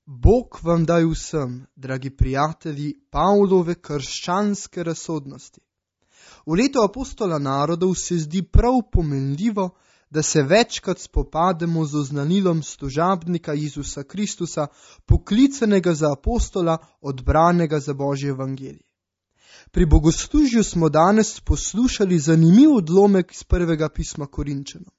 Bog vam daj vsem, dragi prijatelji, Pavlove krščanske razsodnosti. V letu apostola narodov se zdi prav pomenljivo, da se večkrat spopademo z oznanilom služabnika Jezusa Kristusa, poklicanega za apostola, odbranega za Božje evangelije. Pri bogoslužju smo danes poslušali zanimiv odlomek iz prvega pisma Korinčanom.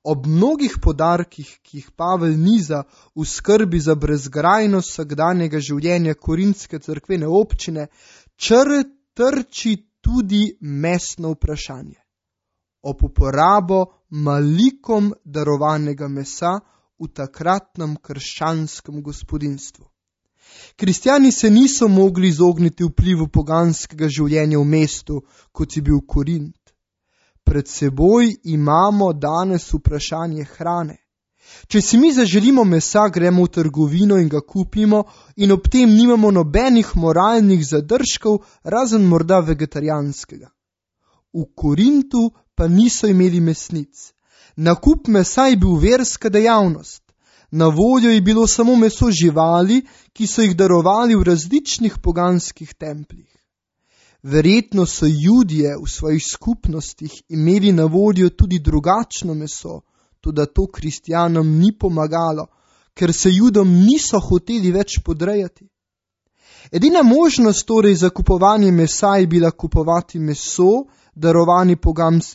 Ob mnogih podarkih, ki jih Pavel niza v skrbi za brezgrajnost vsakdanjega življenja korinske cerkvene občine, trči tudi mestno vprašanje. Ob uporabo malikom darovanega mesa v takratnem krščanskem gospodinjstvu. Kristjani se niso mogli izogniti vplivu poganskega življenja v mestu, kot je bil Korint. Pred seboj imamo danes vprašanje hrane. Če si mi zaželimo mesa, gremo v trgovino in ga kupimo in ob tem nimamo nobenih moralnih zadržkov, razen morda vegetarijanskega. V Korintu pa niso imeli mesnic. Nakup mesa je bil verska dejavnost. Na voljo je bilo samo meso živali, ki so jih darovali v različnih poganskih templjih. Verjetno so Judje v svojih skupnostih imeli na voljo tudi drugačno meso, toda to kristjanom ni pomagalo, ker se Judom niso hoteli več podrejati. Edina možnost torej za kupovanje mesa je bila kupovati meso,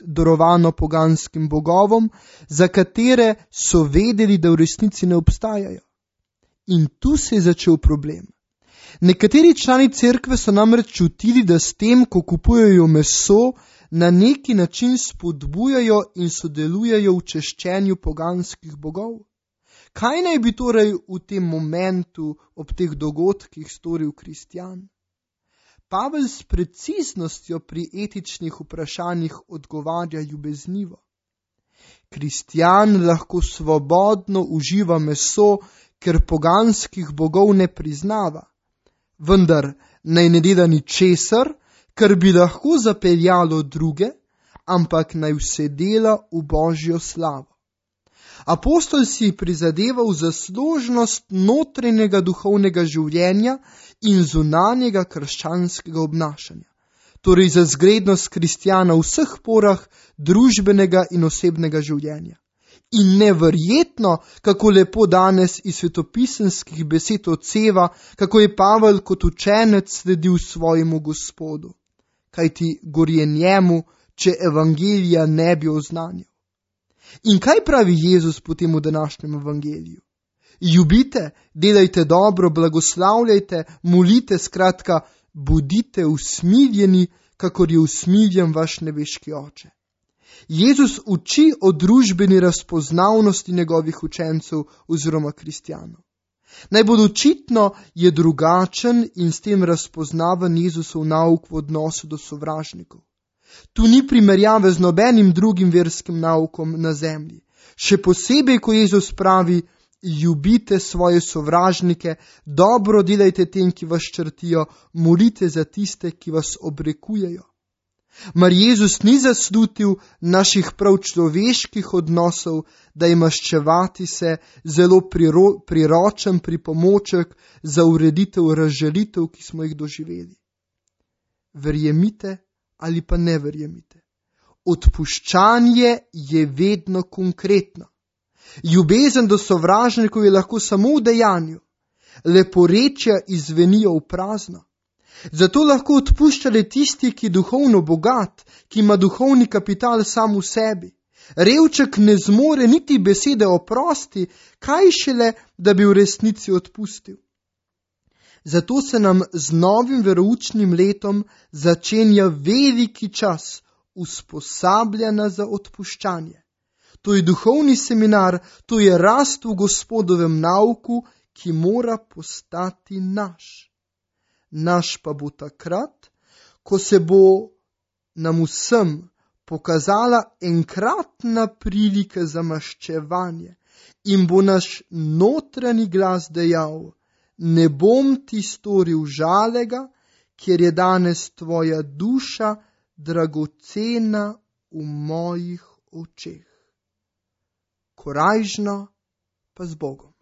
darovano poganskim bogovom, za katere so vedeli, da v resnici ne obstajajo. In tu se je začel problem. Nekateri člani cerkve so namreč čutili, da s tem, ko kupujejo meso, na neki način spodbujajo in sodelujejo v češčenju poganskih bogov. Kaj naj bi torej v tem momentu, ob teh dogodkih storil kristjan? Pavel s preciznostjo pri etičnih vprašanjih odgovarja ljubeznivo. Kristjan lahko svobodno uživa meso, ker poganskih bogov ne priznava. Vendar naj ne dela ničesar, kar bi lahko zapeljalo druge, ampak naj vse dela v Božjo slavo. Apostol si je prizadeval za složnost notranjega duhovnega življenja in zunanjega krščanskega obnašanja, torej za zglednost kristjana v vseh porah družbenega in osebnega življenja. In neverjetno, kako lepo danes iz svetopisemskih besed odseva, kako je Pavel kot učenec sledil svojemu Gospodu. Kajti gorje njemu, če evangelija ne bi oznanjal. In kaj pravi Jezus potem v današnjem evangeliju? Ljubite, delajte dobro, blagoslavljajte, molite, skratka, bodite usmiljeni, kakor je usmiljen vaš nebeški Oče. Jezus uči o družbeni razpoznavnosti njegovih učencev oziroma kristjanov. Najbolj očitno je drugačen in s tem razpoznaven Jezusov nauk v odnosu do sovražnikov. Tu ni primerjave z nobenim drugim verskim naukom na zemlji. Še posebej, ko Jezus pravi, ljubite svoje sovražnike, dobro delajte tem, ki vas črtijo, molite za tiste, ki vas obrekujejo. Mar Jezus ni zaslutil naših prav človeških odnosov, da je maščevati se zelo priročen pripomoček za ureditev razžalitev, ki smo jih doživeli. Verjemite ali pa ne verjemite. Odpuščanje je vedno konkretno. Ljubezen do sovražnikov je lahko samo v dejanju. Leporečja izzvenijo v prazno. Zato lahko odpušča le tisti, ki je duhovno bogat, ki ima duhovni kapital sam v sebi. Revček ne zmore niti besede oprosti, kaj šele, da bi v resnici odpustil. Zato se nam z novim veroučnim letom začenja veliki čas usposabljanja za odpuščanje. To je duhovni seminar, to je rast v Gospodovem nauku, ki mora postati naš. Naš pa bo takrat, ko se bo nam vsem pokazala enkratna prilika za maščevanje in bo naš notranji glas dejal: ne bom ti storil žalega, ker je danes tvoja duša dragocena v mojih očeh. Korajžno pa z Bogom.